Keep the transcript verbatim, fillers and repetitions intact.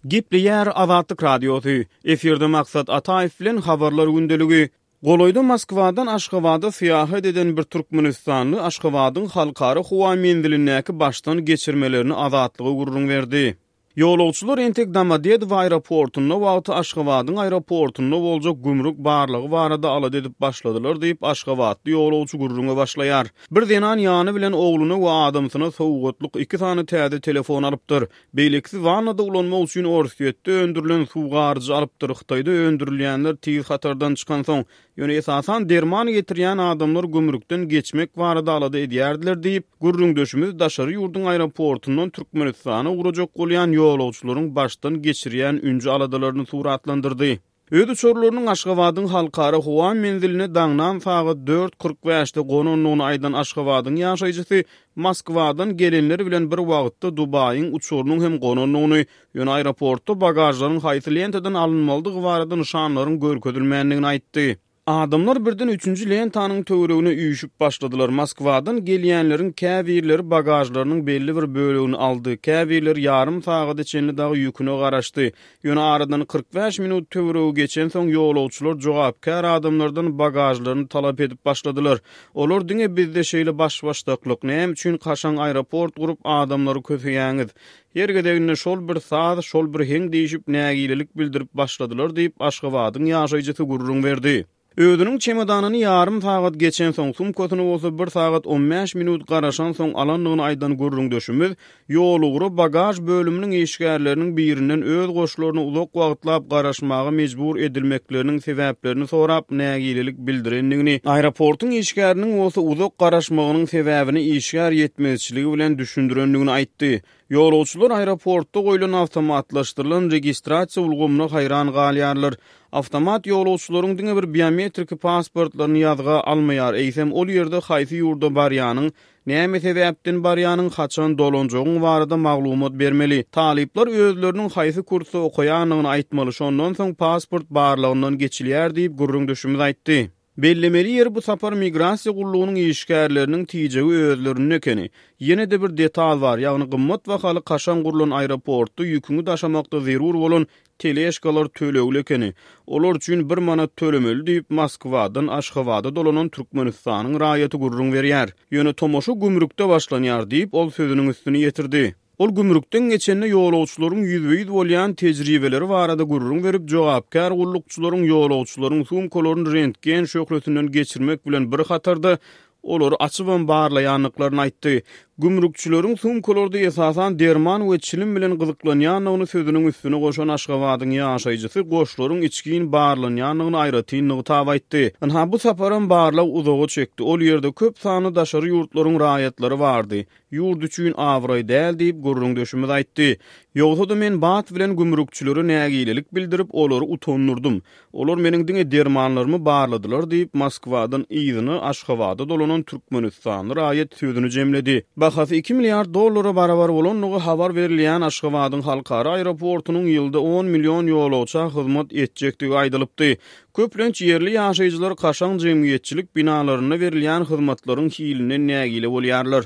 Gepleýär Azatlyk Radiosy. Efirde Maksat Ataýew bilen Habarlar gündeligi. Golaýda Moskwadan Aşgabada syýahat eden bir türkmenistanly Aşgabadyň halkara howa menzilindäki başdan geçirmelerini Azatlyga gürrüň berdi. Ýolagçylar entek Domodedowo aeroportunda wagty Aşgabadyň aeroportunda boljak gümrük barlagy barada alada edip başladylar diýip, aşgabatly ýolagçy gürrüňe başlaýar. Bir zenan ýany bilen ogluna we adamsyna sowgatlyk iki sany täze telefon alypdyr. Beýlekisi wannada ulanmak üçin Orsýetde öndürilen suw garyjy alypdyr, Hytaýda öndürilýänler tiz hatardan çykansoň, ýöne esasan derman getirýän adamlar gümrükden geçmek barada alada edýärdiler diýip, gürrüňdeşimiz daşary ýurduň aeroportundan Türkmenistana ugrajak bolýan ýolagçylaryň başdan geçirýän ünji-aladalaryny suratlandyrdy. Öz uçarlarynyň Aşgabadyň halkara howa menziline daňdan sagat dört kyrk bäşde gonandygyny aýdan Aşgabadyň ýaşaýjysy Moskwadan gelenler bilen bir wagtda Dubaýyň uçarynyň hem gonandygyny, ýöne aeroportda bagažlaryň haýsy lentadan alynmalydygy barada nyşanlaryň görkezilmändigini aýtdy. Adamlar birden üçünji lentanyň töweregine üýşüp başladylar. Moskwadan gelýänleriň käbirleri bagažlarynyň belli bir bölegini aldy, käbirleri ýarym sagada çenli dagy ýüküne garaşdy. Ýöne aradan kyrk bäş minut töweregi geçensoň ýolagçylar jogapkär adamlardan bagažlaryny talap edip başladylar. Olar diňe bizde şeýle baş-başdaklyk, näme üçin kaşaň aeroport gurup adamlary köseýäňiz? Her gezeginde şol bir saz, şol bir heň diýşip nägilelik bildirip başladylar diýip, Aşgabadyň ýaşaýjysy gürrüň berdi. Özüniň çemodanyny ýarym sagat geçensoň, sumkasyny bolsa bir sagat on bäş minut garaşansoň alandygyny aýdan gürrüňdeşimiz ýolugra bagaž bölüminiň işgärleriniň birinden öz goşlaryna uzak wagtlap garaşmaga mejbur edilmekleriniň sebäplerini sorap nägilelik bildirendigini, aeroportuň işgäriniň bolsa uzak garaşmagynyň sebäbini işgär ýetmezçiligi bilen düşündirendigini aýtdy. Ýolagçylar aeroportda goýlan awtomatlaşdyrylan registrasiýa ulgamyna haýran galýarlar. Awtomat ýolagçylaryň diňe bir biometriki pasportlaryny ýazga almaýar, eýsem ol ýerde haýsy ýurda barýanyň, näme sebäpden barýanyň, haçan dolanjagyň barada maglumat bermeli. Talyplar özleriniň haýsy kursda okaýandygyny aýtmaly, şondan soň pasport barlagyndan geçilýär diýip, gürrüňdeşimiz aýtdy. Bellemeli ýeri bu sapar migrasiýa gullugynyň işgärleriniň tijegi özlerinde ekeni. Ýene-de bir detal bar, ýagny gymmat bahaly kaşaň gurlan aeroportda ýüküňi daşamakda zerur bolan teležkalar tölegli ekeni. Olar üçin bir manat tölemeli diýip, Moskwadan Aşgabada dolanan Türkmenistanyň raýaty gürrüň berýär. Ýöne tomaşa gümrükde başlanýar diýip, ol sözüniň üstüni ýetirdi. Ol gümrükden geçende ýolagçylaryň ýüzbe-ýüz bolýan tejribeleri barada gürrüň berip, jogapkär gullukçylaryň ýolagçylaryň sumkalaryny rentgen şöhlesinden geçirmek bilen bir hatarda olary açybam barlaýandyklaryny aýtdy. Gümrükçileriň sumkalarda esasan derman we çilim bilen gyzyklanýandygyny sözüniň üstüne goşan Aşgabadyň ýaşaýjysy goşlaryň içgin barlanýandygyny aýratyn nygtap aýtdy. Ynha bu saparam barlag uzaga çekdi. Ol ýerde köp sanly daşary ýurtlaryň raýatlary bardy. Ýurt üçin abraý däl diýip gürrüňdeşimiz aýtdy. Ýogsa-da men bat bilen gümrükçilere nägilelik bildirip, olary utandyrdym. Olar meniň diňe dermanlarymy barladylar diýip, Moskwadan yzyna Aşgabada dolanan türkmenistanly raýat sözüni jemledi. Bahasy iki milliard dollara barabar bolandygy habar berilýän Aşgabadyň halkara aeroportunyň ýylda on million ýolagça hyzmat etjekdigi aýdylypdy. Köplenç ýerli ýaşaýjylar kaşaň jemgyýetçilik binalarynda berilýän hyzmatlaryň hilinden nägile bolýarlar.